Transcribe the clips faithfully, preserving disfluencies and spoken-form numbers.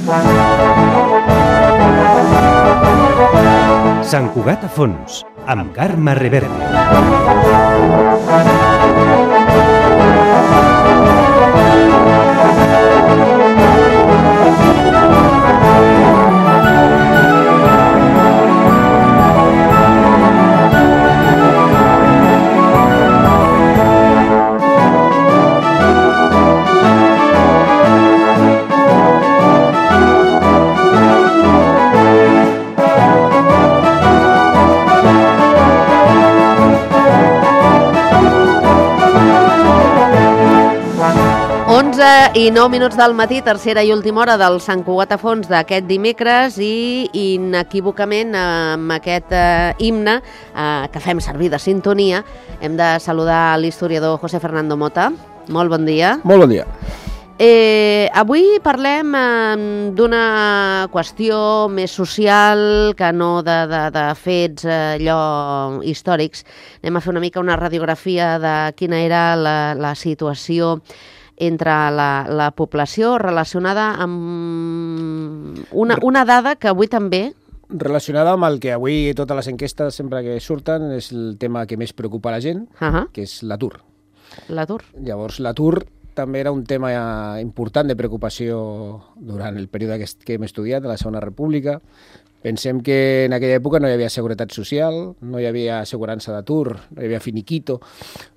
Sant Cugat a fons, amb Carme Reverte. onze i nou minuts del matí, tercera i última hora del Sant Cugat a fons d'aquest dimecres i inequívocament amb aquest eh, himne eh, que fem servir de sintonia hem de saludar l'historiador José Fernando Mota. Molt bon dia. Molt bon dia. Eh, avui parlem eh, d'una qüestió més social que no de, de, de fets eh, allò històrics. Anem a fer una mica una radiografia de quina era la, la situació entre la, la població relacionada amb una, una dada que avui també... Relacionada amb el que avui totes les enquestes sempre que surten és el tema que més preocupa a la gent, uh-huh. que és l'atur. L'atur. Llavors, l'atur també era un tema important de preocupació durant el període que, que hem estudiat, de la Segona República. Pensem que en aquella època no hi havia seguretat social, no hi havia assegurança d'atur, no hi havia finiquito,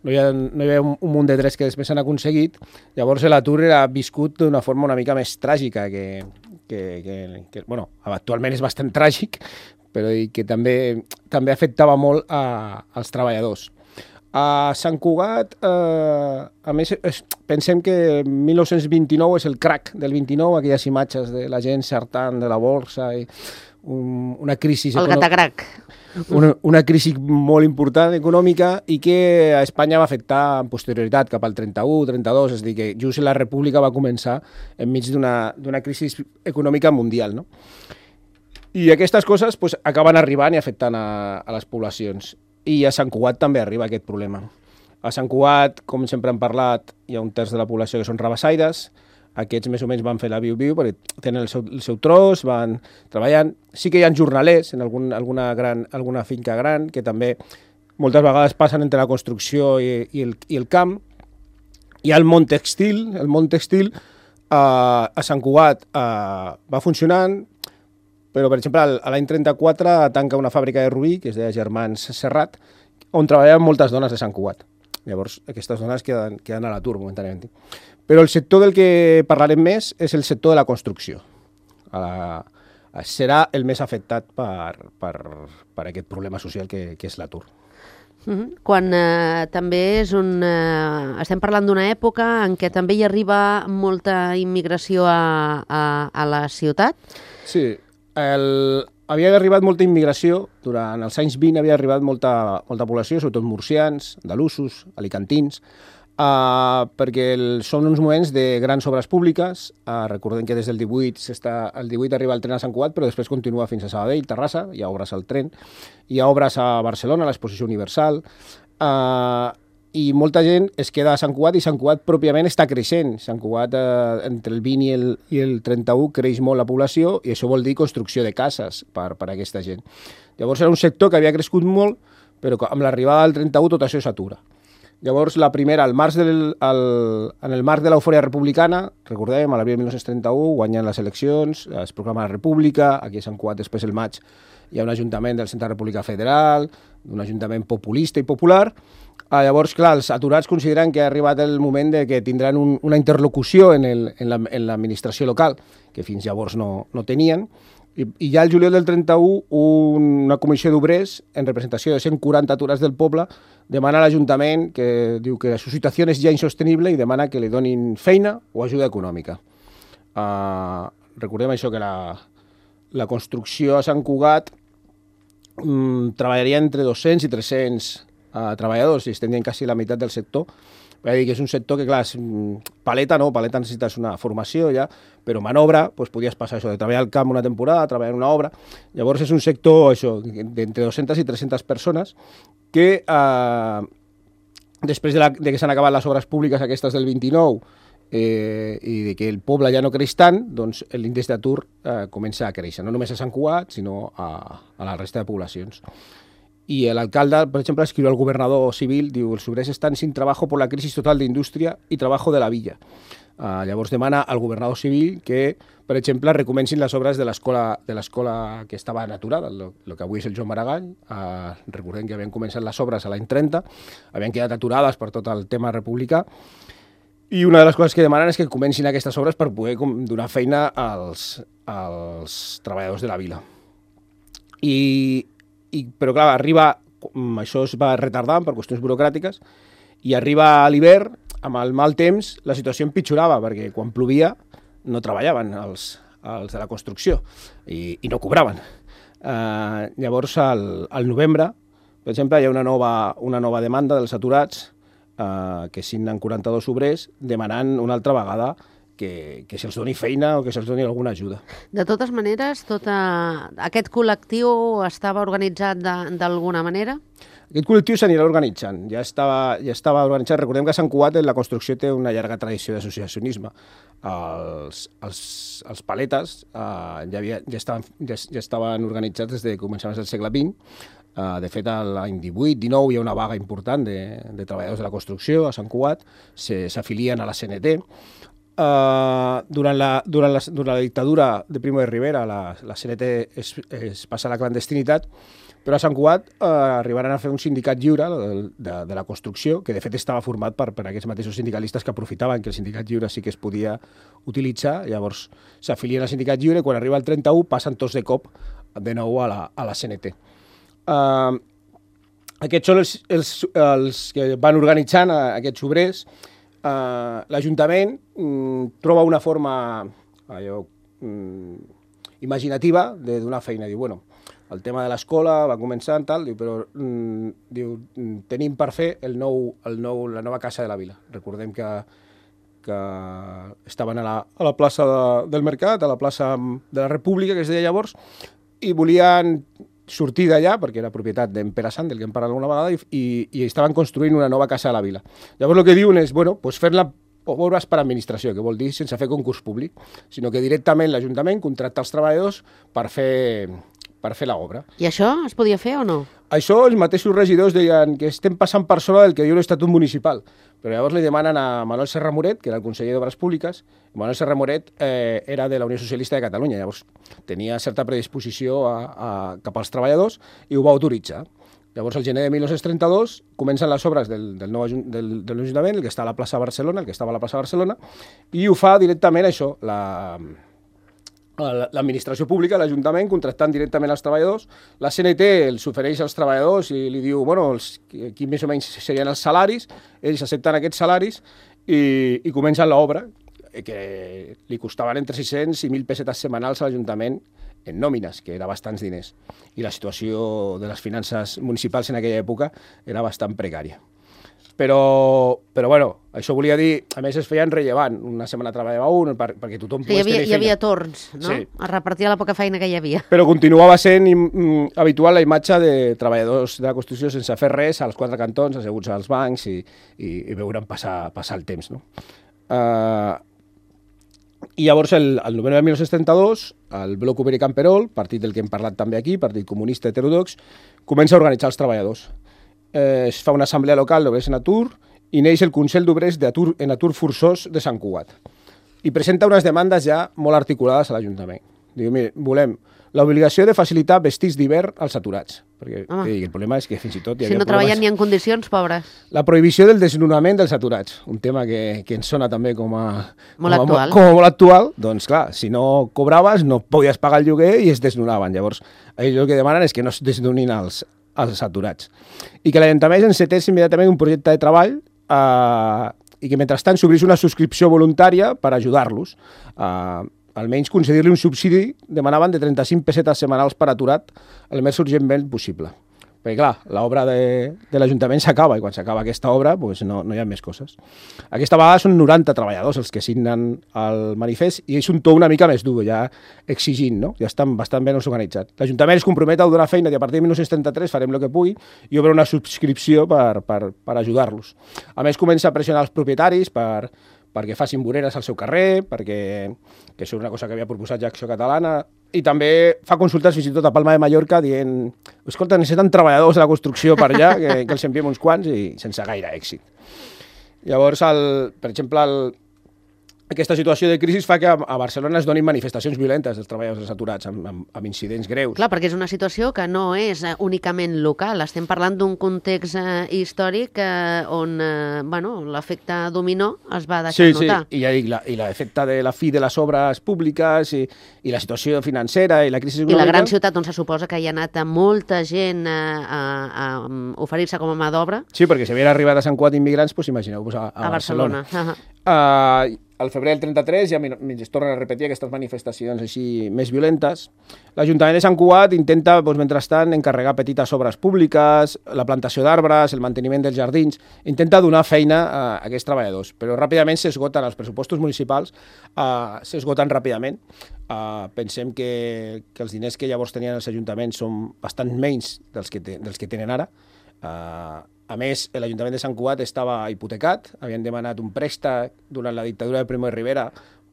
no hi havia, no hi havia un, un munt de drets que després s'han aconseguit. Llavors l'atur era viscut d'una forma una mica més tràgica, que, que, que, que bueno, actualment és bastant tràgic, però que també, també afectava molt a, als treballadors. A Sant Cugat, eh, a més, es, pensem que mil nou-cents vint-i-nou és el crack del vint-i-nou, aquelles imatges de la gent saltant de la borsa i un, una crisi... El gatagrac. Una, una crisi molt important econòmica i que a Espanya va afectar en posterioritat cap al trenta-u, trenta-dos, és a dir, que just la República va començar enmig d'una crisi econòmica mundial, no? I aquestes coses pues, acaben arribant i afectant a, a les poblacions. I a Sant Cugat també arriba aquest problema. A Sant Cugat, com sempre hem parlat, hi ha un terç de la població que són rabassaires. Aquests més o menys van fer la viu-viu perquè tenen el seu, el seu tros, van treballant. Sí que hi ha jornalers en algun, alguna, gran, alguna finca gran que també moltes vegades passen entre la construcció i, i, el, i el camp. Hi ha el món textil. El món textil eh, a Sant Cugat eh, va funcionant, però, per exemple, a l'any trenta-quatre tanca una fàbrica de Rubí, que és de Germans Serrat, on treballaven moltes dones de Sant Cugat. Llavors, aquestes dones queden, queden a l'atur momentàniament. Però el sector del que parlarem més és el sector de la construcció. Uh, serà el més afectat per, per, per aquest problema social que, que és l'atur. Uh-huh. Quan eh, també és un... Eh, estem parlant d'una època en què també hi arriba molta immigració a, a, a la ciutat? Sí. El, havia arribat molta immigració, durant els anys vint havia arribat molta, molta població, sobretot murcians, andalusos, alicantins, uh, perquè el, són uns moments de grans obres públiques. Uh, recordem que des del divuit, el divuit arriba el tren a Sant Cugat, però després continua fins a Sabadell, Terrassa, hi ha obres al tren, hi ha obres a Barcelona, a l'Exposició Universal, uh, i molta gent es queda a Sant Cugat i Sant Cugat pròpiament està creixent. Sant Cugat, eh, entre el vint i el, i el trenta-u, creix molt la població i això vol dir construcció de cases per, per a aquesta gent. Llavors era un sector que havia crescut molt, però amb l'arribada del trenta-u tot això s'atura. Llavors la primera, al març del, al, en el marc de l'eufòria republicana, recordem, a l'abril de mil nou-cents trenta-u, guanyen les eleccions, es proclama la República, aquí a Sant Cugat després el maig hi ha un ajuntament del Centre de la República Federal, un ajuntament populista i popular. Ah, llavors, clar, els aturats consideren que ha arribat el moment de que tindran un, una interlocució en, el, en, la, en l'administració local, que fins llavors no, no tenien. I, I ja el juliol del trenta-u, un, una comissió d'obrers, en representació de cent quaranta aturats del poble, demana a l'Ajuntament, que diu que la situació és ja insostenible i demana que li donin feina o ajuda econòmica. Uh, recordem això, que la, la construcció a Sant Cugat um, treballaria entre dos-cents i tres-cents a treballadors, i estem dient quasi la meitat del sector. Vull dir que és un sector que, clar, és, paleta no, paleta necessites una formació ja, però manobra, doncs podies passar això, de treballar al camp una temporada, treballar en una obra. Llavors és un sector, això, d'entre dos-centes i tres-centes persones que, eh, després de, la, de que s'han acabat les obres públiques aquestes del vint-i-nou eh, i de que el poble ja no creix tant, doncs l'índex d'atur eh, comença a créixer, no només a Sant Cugat, sinó a, a la resta de poblacions. I l'alcalde, per exemple, escriu al governador civil, diu, els obrers estan sin trabajo por la crisis total d'indústria i trabajo de la villa. Uh, llavors demana al governador civil que, per exemple, recomencin les obres de l'escola de l'escola que estava aturada, el que avui és el Joan Maragall. Uh, recordem que havien començat les obres a l'any trenta, havien quedat aturades per tot el tema republicà, i una de les coses que demanen és que comencin aquestes obres per poder donar feina als, als treballadors de la vila. I, i, però, clar, arriba, això es va retardant per qüestions burocràtiques, i arriba a l'hivern, amb el mal temps, la situació empitjorava, perquè quan plovia no treballaven els, els de la construcció i, i no cobraven. Uh, llavors, al, al novembre, per exemple, hi ha una nova, una nova demanda dels aturats uh, que signen quaranta-dos obrers demanant una altra vegada que, que se'ls doni feina o que se'ls doni alguna ajuda. De totes maneres, tota... aquest col·lectiu estava organitzat d'alguna manera? Aquest col·lectiu s'anirà organitzant, ja estava, ja estava organitzat. Recordem que a Sant Cugat la construcció té una llarga tradició d'associacionisme. Els, els, els paletes eh, ja, havia, ja, estaven, ja, ja estaven organitzats des de començaments del segle vint. Uh, de fet, l'any divuit dinou hi ha una vaga important de, de treballadors de la construcció a Sant Cugat, s'afilien a la C N T. Uh, durant, la, durant, la, durant la dictadura de Primo de Rivera, la, la C N T es, es passa a la clandestinitat, però a Sant Cugat eh, arribaran a fer un sindicat lliure de, de, de la construcció, que de fet estava format per, per aquests mateixos sindicalistes que aprofitaven que el sindicat lliure sí que es podia utilitzar. Llavors s'afilien al sindicat lliure i quan arriba el trenta-u passen tots de cop de nou a la, a la C N T. Uh, aquests són els, els, els que van organitzant uh, aquests obrers. Uh, L'Ajuntament um, troba una forma allò, um, imaginativa de donar feina. Diu, bueno, el tema de l'escola va començar tal, diu, però mm, diu, tenim per fer el nou, el nou, la nova casa de la vila. Recordem que, que estaven a la, a la plaça de, del Mercat, a la plaça de la República, que es deia llavors, i volien sortir d'allà, perquè era propietat d'en Pere Sant, del que hem parlat alguna vegada, i, i, i estaven construint una nova casa de la vila. Llavors el que diuen és, bueno, pues fer-la obres per administració, que vol dir sense fer concurs públic, sinó que directament l'Ajuntament contracta els treballadors per fer... per fer l'obra. I això es podia fer o no? Això els mateixos regidors deien que estem passant per sobre del que diu l'Estatut Municipal, però llavors li demanen a Manuel Serra Moret, que era el conseller d'Obres Públiques. Manuel Serra Moret eh, era de la Unió Socialista de Catalunya, llavors tenia certa predisposició a, a, cap als treballadors i ho va autoritzar. Llavors, el gener de mil nou-cents trenta-dos, comencen les obres del, del nou del, de l'Ajuntament, el que està a la plaça Barcelona, el que estava a la plaça Barcelona, i ho fa directament això, la... l'administració pública, l'Ajuntament, contractant directament els treballadors. La C N T els ofereix als treballadors i li diu, bueno, els, aquí més o menys serien els salaris, ells accepten aquests salaris i, i comencen l'obra, que li costaven entre sis-cents i mil pessetes setmanals a l'Ajuntament en nòmines, que era bastants diners. I la situació de les finances municipals en aquella època era bastant precària. Però, però bueno, això volia dir, a més es feien rellevant, una setmana treballava un, per, perquè tothom sí, pogués tenir feina. Hi havia torns, no? Sí. Es repartia la poca feina que hi havia. Però continuava sent mm, habitual la imatge de treballadors de la construcció sense fer res, als quatre cantons, asseguts als bancs i, i, i veure'n passar, passar el temps, no? Uh, I llavors, el, el novembre de mil nou-cents trenta-dos, el Bloc Obrer Camperol, partit del que hem parlat també aquí, partit comunista heterodox, comença a organitzar els treballadors. Eh, es fa una assemblea local d'obrers en atur i neix el Consell d'Obrers en Atur Forçós de Sant Cugat. I presenta unes demandes ja molt articulades a l'Ajuntament. Diu, mire, volem l'obligació de facilitar vestits d'hivern als aturats. Perquè eh, el problema és que fins i tot hi havia si no problemes... treballen ni en condicions, pobres. La prohibició del desnonament dels aturats, un tema que, que ens sona també com a... Molt com a, actual. Com a molt actual. Doncs clar, si no cobraves no podies pagar el lloguer i es desnonaven. Llavors, ells el que demanen és que no es desnonin els, els aturats. I que l'Ajuntament encetés immediatament un projecte de treball eh, i que mentrestant s'obrís una subscripció voluntària per ajudar-los. Eh, almenys concedir-li un subsidi, demanaven de trenta-cinc pessetes setmanals per aturat el més urgentment possible. Perquè, clar, l'obra de, de l'Ajuntament s'acaba i quan s'acaba aquesta obra pues no, no hi ha més coses. Aquesta vegada són noranta treballadors els que signen el manifest i és un to una mica més dur, ja exigint, no? Ja estan bastant ben organitzats. L'Ajuntament es compromet a donar feina i a partir de mil nou-cents trenta-tres farem el que pugui i obre una subscripció per, per, per ajudar-los. A més, comença a pressionar els propietaris per, perquè facin voreres al seu carrer, perquè que això és una cosa que havia proposat ja Acció Catalana, i també fa consultes fins i tot a Palma de Mallorca dient, escolta, necessiten treballadors de la construcció per allà, que, que els enviem uns quants, i sense gaire èxit. Llavors, el, per exemple, el, aquesta situació de crisi fa que a, a Barcelona es donin manifestacions violentes dels treballadors dels aturats, amb, amb, amb incidents greus. Clar, perquè és una situació que no és eh, únicament local. Estem parlant d'un context eh, històric eh, on eh, bueno, l'efecte dominó es va deixar sí, notar. Sí, i ja dic, la, i l'efecte de la fi de les obres públiques i, i la situació financera i la crisi econòmica... I la gran ciutat on se suposa que hi ha anat molta gent eh, a, a, a oferir-se com a mà d'obra. Sí, perquè si havien arribat a Sant Cugat immigrants, doncs imagineu-vos a, a, a Barcelona. Barcelona. Uh, al febrer del trenta-tres ja es tornen a repetir aquestes manifestacions així més violentes. L'Ajuntament de Sant Cugat intenta, doncs, mentrestant, encarregar petites obres públiques, la plantació d'arbres, el manteniment dels jardins, intenta donar feina a aquests treballadors, però ràpidament s'esgoten els pressupostos municipals, uh, s'esgoten ràpidament. Uh, pensem que, que els diners que llavors tenien els ajuntaments són bastant menys dels que, te, dels que tenen ara. Uh, A més, l'Ajuntament de Sant Cugat estava hipotecat, havien demanat un préstec durant la dictadura de Primo de Rivera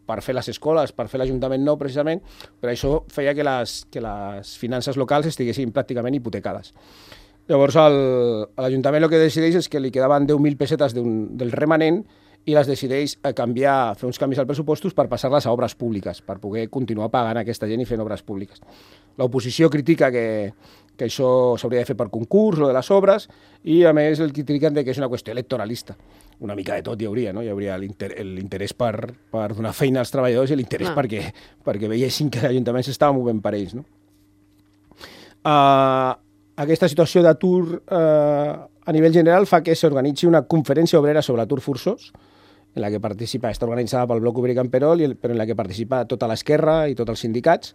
per fer les escoles, per fer l'Ajuntament nou, precisament, però això feia que les, que les finances locals estiguessin pràcticament hipotecades. Llavors, l'Ajuntament el que decideix és que li quedaven deu mil pessetes del remanent i les decideix canviar, fer uns canvis als pressupostos per passar-les a obres públiques, per poder continuar pagant aquesta gent i fent obres públiques. L'oposició critica que, que això s'hauria de fer per concurs, lo de les obres, i a més el critiquen de que és una qüestió electoralista. Una mica de tot hi hauria, no? Hi hauria l'interès per, per donar feina als treballadors i l'interès ah. perquè, perquè veiessin que l'Ajuntament s'estava movent per ells, no? Uh, aquesta situació d'atur uh, a nivell general fa que s'organitzi una conferència obrera sobre atur forçós, en la que participa, està organitzada pel Bloc Obrer Camperol, però en la que participa tota l'esquerra i tots els sindicats,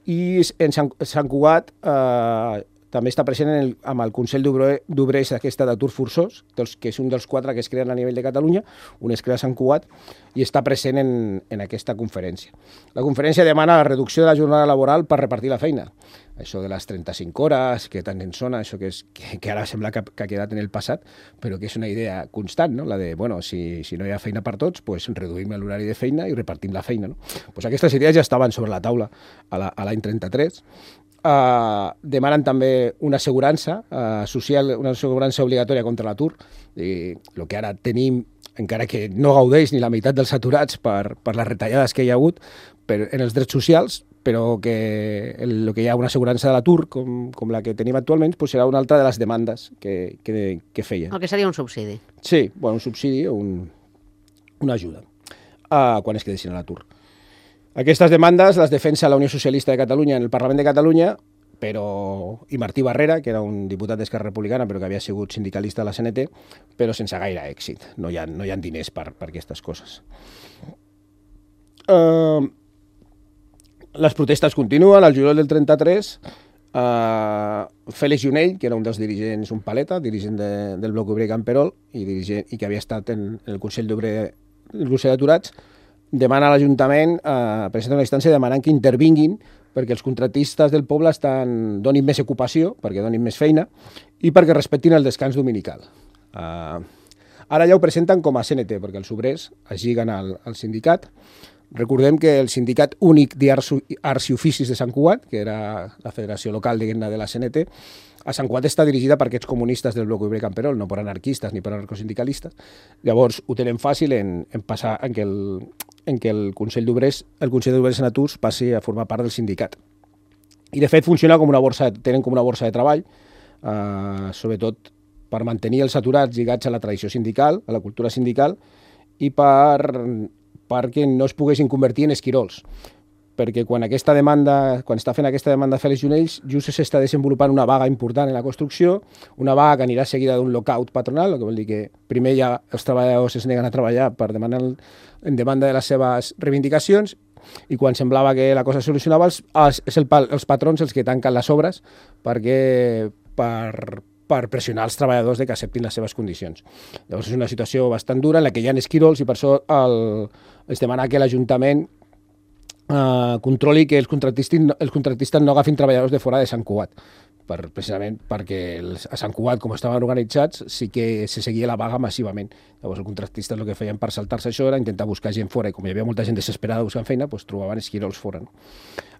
i en Sant, Sant Cugat eh, també està present en el, amb el Consell d'Obrers aquesta d'atur forçós, dels, que és un dels quatre que es creen a nivell de Catalunya, un es crea a Sant Cugat, i està present en, en aquesta conferència. La conferència demana la reducció de la jornada laboral per repartir la feina. Això de les trenta-cinc hores, que tant ens sona, això que, és, que, que ara sembla que, que ha quedat en el passat, però que és una idea constant, no? La de, bueno, si, si no hi ha feina per tots, pues reduïm l'horari de feina i repartim la feina, no? Pues aquestes idees ja estaven sobre la taula a l'any trenta-tres. Uh, demanen també una assegurança uh, social, una assegurança obligatòria contra l'atur, i el que ara tenim, encara que no gaudeix ni la meitat dels aturats per, per les retallades que hi ha hagut per, en els drets socials, però que el, el que hi ha una assegurança de l'atur, com, com la que tenim actualment, pues serà una altra de les demandes que, que, que feien. El que seria un subsidi. Sí, bueno, un subsidi o un, una ajuda uh, quan es quedessin a l'atur. Aquestes demandes les defensa la Unió Socialista de Catalunya en el Parlament de Catalunya, però i Martí Barrera, que era un diputat d'Esquerra Republicana, però que havia sigut sindicalista de la C N T, però sense gaire èxit. No hi ha, no hi ha diners per, per aquestes coses. Uh, les protestes continuen. Al juliol del trenta-tres, uh, Fèlix Junell, que era un dels dirigents, un paleta, dirigent de, del Bloc Obrer Camperol, i, dirigent, i que havia estat en, en el Consell d'Obrer, el Consell d'Aturats, demana a l'Ajuntament, eh, presenta una instància demanant que intervinguin perquè els contractistes del poble estan, donin més ocupació, perquè donin més feina, i perquè respectin el descans dominical. Uh, ara ja ho presenten com a C N T, perquè els obrers es lliguen al, al sindicat. Recordem que el sindicat únic d'Arts i Oficis de Sant Cugat, que era la federació local de la C N T, a Sant Cugat està dirigida per aquests comunistes del Bloc Obrer Camperol, no per anarquistes ni per anarcosindicalistes. Llavors ho tenen fàcil en, en passar en que el, en què el Consell d'Obrers, el Consell d'Obrers en Aturs passi a formar part del sindicat. I de fet funciona com una borsa, tenen com una borsa de treball, eh, sobretot per mantenir els aturats lligats a la tradició sindical, a la cultura sindical, i per perquè no es poguessin convertir en esquirols. Perquè quan aquesta demanda, quan està fent aquesta demanda Fèlix Junells, just s'està desenvolupant una vaga important en la construcció, una vaga que anirà seguida d'un lockout patronal, el que vol dir que primer ja els treballadors es neguen a treballar per demanar en demanda de les seves reivindicacions, i quan semblava que la cosa es solucionava, els, els, és el, els patrons els que tanquen les obres perquè, per, per pressionar els treballadors de que acceptin les seves condicions. Llavors és una situació bastant dura en la que hi ha esquirols i per això el, es demana que l'Ajuntament uh, controli que els contractistes, els contractistes no agafin treballadors de fora de Sant Cugat, per, precisament perquè els, a Sant Cugat, com estaven organitzats, sí que se seguia la vaga massivament. Llavors els contractistes el que feien per saltar-se això era intentar buscar gent fora, i com hi havia molta gent desesperada buscant feina, doncs trobaven esquirols fora. No?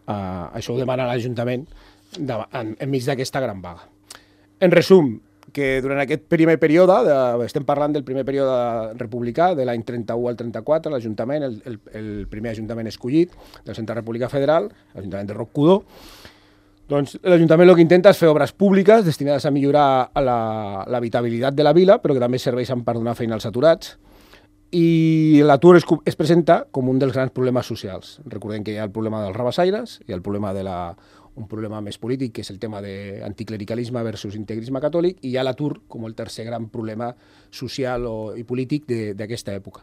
Uh, això ho demana l'Ajuntament en, enmig d'aquesta gran vaga. En resum, que durant aquest primer període, de, estem parlant del primer període republicà, de l'any trenta-u al trenta-quatre, l'Ajuntament, el, el, el primer Ajuntament escollit del Centre República Federal, l'Ajuntament de Roc Cudó, doncs l'Ajuntament el que intenta és fer obres públiques destinades a millorar l'habitabilitat de la vila, però que també serveixen per donar feina als aturats, i l'atur es, es presenta com un dels grans problemes socials. Recordem que hi ha el problema dels rabassaires, hi ha el problema de la un problema més polític, que és el tema d'anticlericalisme versus integrisme catòlic, i hi ha l'atur com el tercer gran problema social o, i polític d'aquesta època.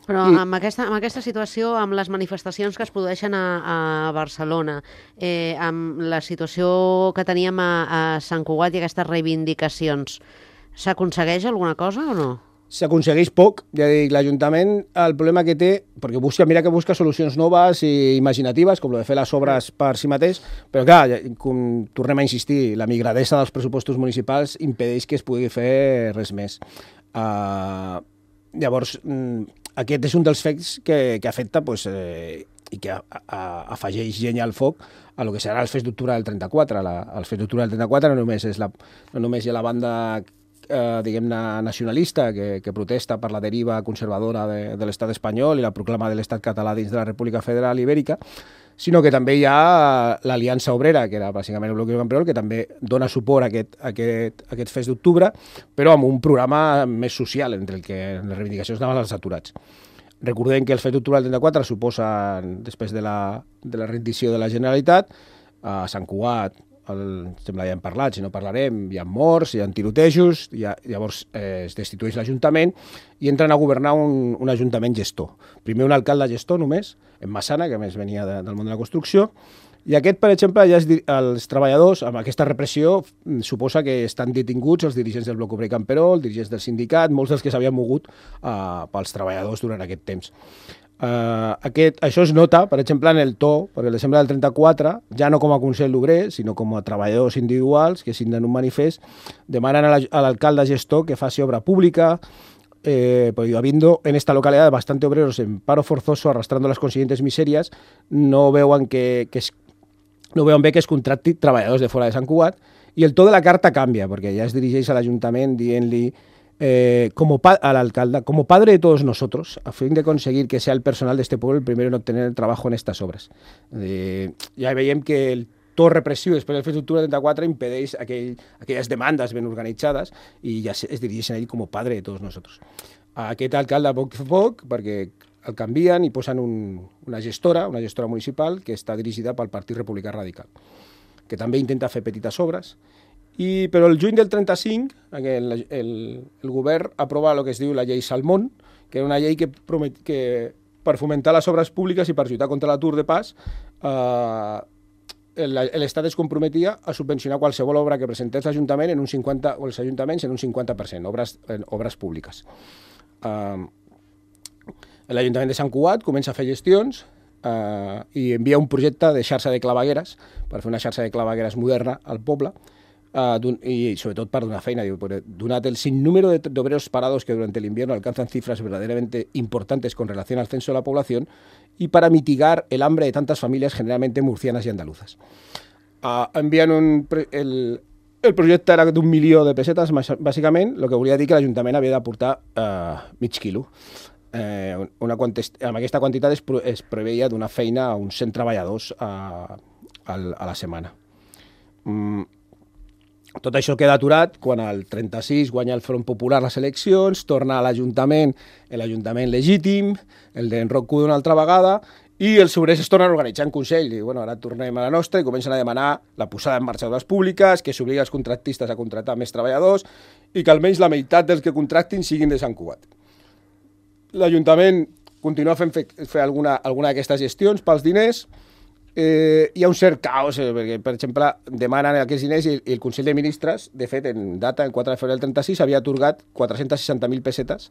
Però I, amb, aquesta, amb aquesta situació, amb les manifestacions que es produeixen a, a Barcelona, eh, amb la situació que teníem a, a Sant Cugat i aquestes reivindicacions, s'aconsegueix alguna cosa o no? S'aconsegueix poc, ja dic, l'Ajuntament, el problema que té, perquè busca, mira que busca solucions noves i imaginatives, com el de fer les obres per si mateix, però clar, com tornem a insistir, la migradesa dels pressupostos municipals impedeix que es pugui fer res més. Uh, llavors, aquest és un dels fets que, que afecta pues, eh, i que a, a, afegeix llenya al foc a lo que serà els fets d'octubre del trenta-quatre. La, els fets d'octubre del trenta-quatre no només, és la, no només hi ha la banda Eh, diguem-ne, nacionalista, que, que protesta per la deriva conservadora de, de l'estat espanyol i la proclama de l'estat català dins de la República Federal Ibèrica, sinó que també hi ha l'Aliança Obrera, que era bàsicament el bloc camperol, que també dona suport a aquest, a aquest, a aquest fest d'octubre, però amb un programa més social, entre el que les reivindicacions anaven als aturats. Recordem que el fest d'octubre del trenta-quatre suposa, després de la, de la rendició de la Generalitat, a Sant Cugat, el, sembla ja hem parlat, si no parlarem, hi ha morts, hi ha tirotejos, hi ha, llavors eh, es destitueix l'Ajuntament i entren a governar un, un Ajuntament gestor. Primer un alcalde gestor només, en Massana, que a més venia de, del món de la construcció, i aquest, per exemple, ja es, els treballadors, amb aquesta repressió, suposa que estan detinguts els dirigents del Bloc Obrer Camperol, els dirigents del sindicat, molts dels que s'havien mogut uh, pels treballadors durant aquest temps. Uh, aquest, això es nota, per exemple, en el to, perquè el desembre del trenta-quatre, ja no com a Consell Obrer, sinó com a treballadors individuals que signen un manifest, demanen a l'alcalde gestor que faci obra pública, eh, porque habiendo en esta localidad bastante obreros en paro forzoso arrastrando las consiguientes miserias, no veuen, que, que es, no veuen bé que es contracti treballadors de fora de Sant Cugat, i el to de la carta canvia, perquè ja es dirigeix a l'Ajuntament dient-li Eh, como pa al alcalde, como padre de todos nosotros, a fin de conseguir que sea el personal de este pueblo el primero en obtener trabajo en estas obras. Eh, ja veiem que el to repressiu després del fets d'octubre del trenta-quatre impedeix aquell, aquelles demandes ben organitzades i ja es dirigeixen a ell com a padre de tots nosaltres. Aquest alcalde, a poc a poc, perquè el canvien i posen un, una gestora, una gestora municipal que està dirigida pel Partit Republicà Radical, que també intenta fer petites obres. I, però el juny del trenta-cinc el, el, el govern aprova el que es diu la llei Salmón, que era una llei que, promet, que per fomentar les obres públiques i per lluitar contra l'atur de pas, eh, l'Estat es comprometia a subvencionar qualsevol obra que presentés l'Ajuntament en un cinquanta, o els ajuntaments en un cinquanta per cent, obres, en obres públiques. Eh, L'Ajuntament de Sant Cugat comença a fer gestions eh, i envia un projecte de xarxa de clavegueres per fer una xarxa de clavegueres moderna al poble, Uh, y sobre todo para donar feina. Donat el sinnúmero de, de obreros parados que durante el invierno alcanzan cifras verdaderamente importantes con relación al censo de la población y para mitigar el hambre de tantas familias generalmente murcianas y andaluzas. Uh, envien un, el, el projecte era d'un milió de pessetes, bàsicament, el que volia dir que l'Ajuntament havia d'aportar uh, mig quilo. Eh, una amb aquesta quantitat es, es preveia donar feina a uns cent treballadors uh, a, a la setmana. Mm. Tot això queda aturat quan el trenta-sis guanya el Front Popular les eleccions, torna a l'Ajuntament, l'Ajuntament legítim, el d'en Roc Cudó una altra vegada, i els obrers es tornen a organitzar en Consell. I bueno, ara tornem a la nostra i comencen a demanar la posada en marxa d'obres públiques, que s'obliga els contractistes a contractar més treballadors i que almenys la meitat dels que contractin siguin de Sant Cugat. L'Ajuntament continua fent fer, fer alguna, alguna d'aquestes gestions pels diners, Eh, hi ha un cert caos, eh, perquè, per exemple, demanen aquests diners i, i el Consell de Ministres, de fet, en data, el quatre de febrer del trenta-sis, havia atorgat quatre-cents seixanta mil pessetes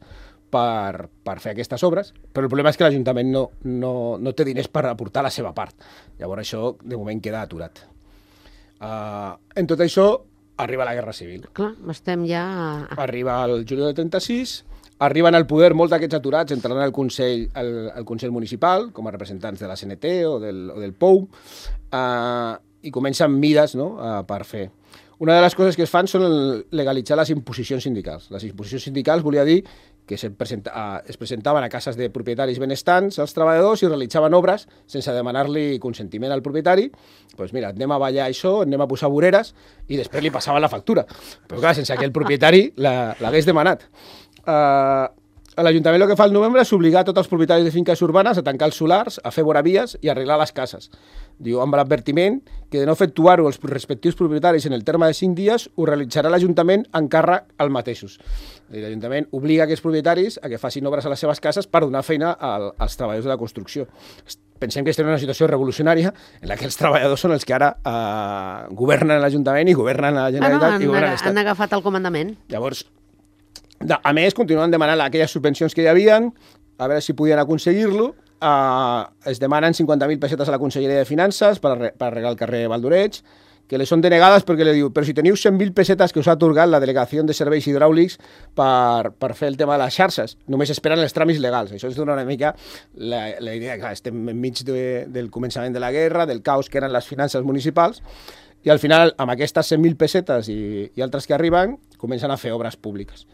per, per fer aquestes obres, però el problema és que l'Ajuntament no, no, no té diners per aportar la seva part. Llavors això, de moment, queda aturat. Uh, en tot això, arriba la Guerra Civil. Clar, estem ja... Arriba el juliol del trenta-sis, arriben al poder molts d'aquests aturats, entraran al Consell, al, al Consell Municipal, com a representants de la C N T o del, o del P O U, uh, i comencen mides, no?, uh, per fer. Una de les coses que es fan són legalitzar les imposicions sindicals. Les imposicions sindicals volia dir que se presenta, uh, es presentaven a cases de propietaris benestants als treballadors i realitzaven obres sense demanar-li consentiment al propietari. Doncs pues mira, anem a ballar això, anem a posar voreres, i després li passaven la factura. Però clar, sense que el propietari l'hagués demanat. Uh, L'Ajuntament el que fa al novembre és obligar tots els propietaris de finques urbanes a tancar els solars, a fer voravies i a arreglar les cases. Diu, amb l'advertiment que de no efectuar-ho els respectius propietaris en el terme de cinc dies, ho realitzarà l'Ajuntament en càrrec als mateixos. L'Ajuntament obliga aquests propietaris a que facin obres a les seves cases per donar feina als treballadors de la construcció. Pensem que estem en una situació revolucionària en la que els treballadors són els que ara eh, governen l'Ajuntament i governen la Generalitat ah, no, i governen l'Estat. Han agafat el comandament. Llavors, a més, continuen demanant aquelles subvencions que hi havien, a veure si podien aconseguir-lo. Uh, es demanen cinquanta mil pessetes a la Conselleria de Finances per, per arreglar el carrer Valdoreig, que les són denegades perquè li diu, però si teniu cent mil pessetes que us ha atorgat la Delegació de Serveis Hidràulics per, per fer el tema de les xarxes, només esperen els tràmits legals. Això ens dona una mica la, la idea que estem enmig de, del començament de la guerra, del caos que eren les finances municipals, i al final, amb aquestes cent mil pessetes i, i altres que arriben, comencen a fer obres públiques.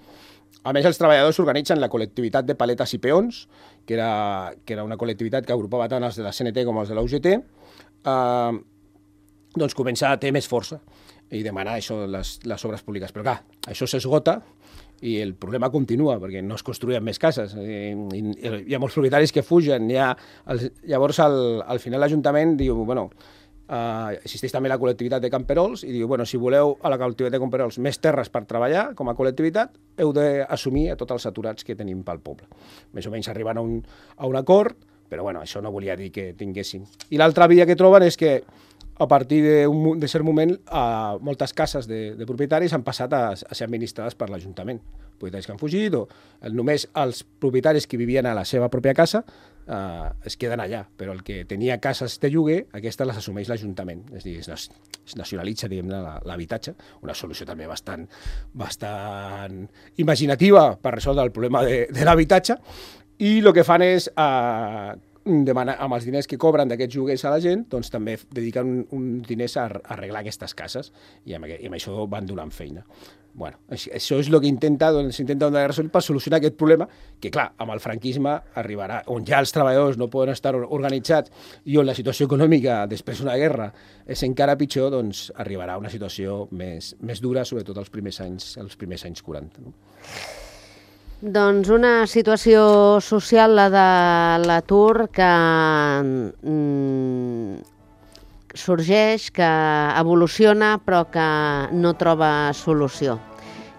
A més, els treballadors organitzen la col·lectivitat de paletes i peons, que era, que era una col·lectivitat que agrupava tant els de la C N T com els de la U G T, eh, doncs comença a tenir més força i demanar això, les, les obres públiques. Però clar, això s'esgota i el problema continua, perquè no es construïen més cases. I, i, hi ha molts propietaris que fugen. Hi ha, els, llavors, al, al final l'Ajuntament diu, bueno, Uh, existeix també la col·lectivitat de camperols i diu, bueno, si voleu a la col·lectivitat de camperols més terres per treballar com a col·lectivitat, heu d'assumir a tots els aturats que tenim pel poble. Més o menys arriben a un, a un acord, però bueno, això no volia dir que tinguéssim. I l'altra via que troben és que a partir d'un de cert moment uh, moltes cases de, de propietaris han passat a, a ser administrades per l'Ajuntament. Propietaris que han fugit o el, només els propietaris que vivien a la seva pròpia casa uh, es queden allà, però el que tenia cases de lloguer, aquestes les assumeix l'Ajuntament. És a dir, es, es nacionalitza, diguem-ne, l'habitatge, una solució també bastant, bastant imaginativa per resoldre el problema de, de l'habitatge, i el que fan és uh, demanar, amb els diners que cobren d'aquests lloguers a la gent, doncs també dediquen uns un diners a, a arreglar aquestes cases i amb, i amb això van donant feina. Bueno, això és el que intenta, doncs, intenta donar resol per solucionar aquest problema que, clar, amb el franquisme arribarà, on ja els treballadors no poden estar organitzats i on la situació econòmica després d'una guerra és encara pitjor, doncs arribarà una situació més, més dura, sobretot els primers anys, els primers anys quaranta. No? Doncs una situació social, la de l'atur, que mm, sorgeix, que evoluciona, però que no troba solució.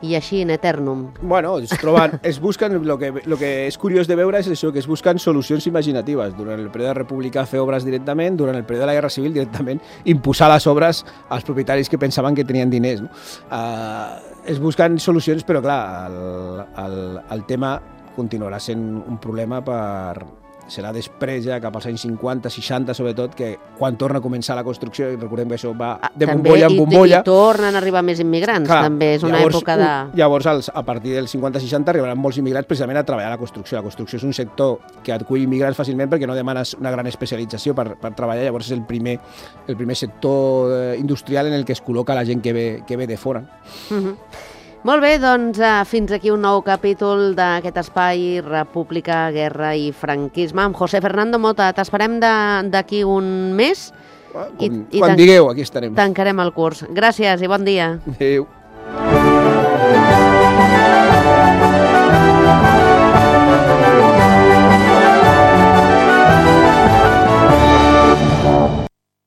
I així in eternum. Bueno, es troben, es busquen, lo que, lo que és curiós de veure és això, que es busquen solucions imaginatives. Durant el període republicà fer obres directament, durant el període de la Guerra Civil directament imposar les obres als propietaris que pensaven que tenien diners. No? Uh, es busquen solucions, però clar, el, el, el tema continuarà sent un problema per... serà després, ja cap als anys cinquanta, seixanta, sobretot, que quan torna a començar la construcció, i recordem que això va de bombolla en bombolla... I, i tornen a arribar més immigrants, clar, també és una llavors, època de... Llavors, als, a partir del cinquanta seixanta, arribaran molts immigrants precisament a treballar a la construcció. La construcció és un sector que acull immigrants fàcilment perquè no demanes una gran especialització per, per treballar, llavors és el primer, el primer sector industrial en el que es col·loca la gent que ve, que ve de fora. Uh-huh. Molt bé, doncs uh, fins aquí un nou capítol d'aquest espai República, Guerra i Franquisme. Amb José Fernando Mota, t'esperem d'aquí un mes. Quan, i, i quan digueu, aquí estarem. Tancarem el curs. Gràcies i bon dia. Adéu.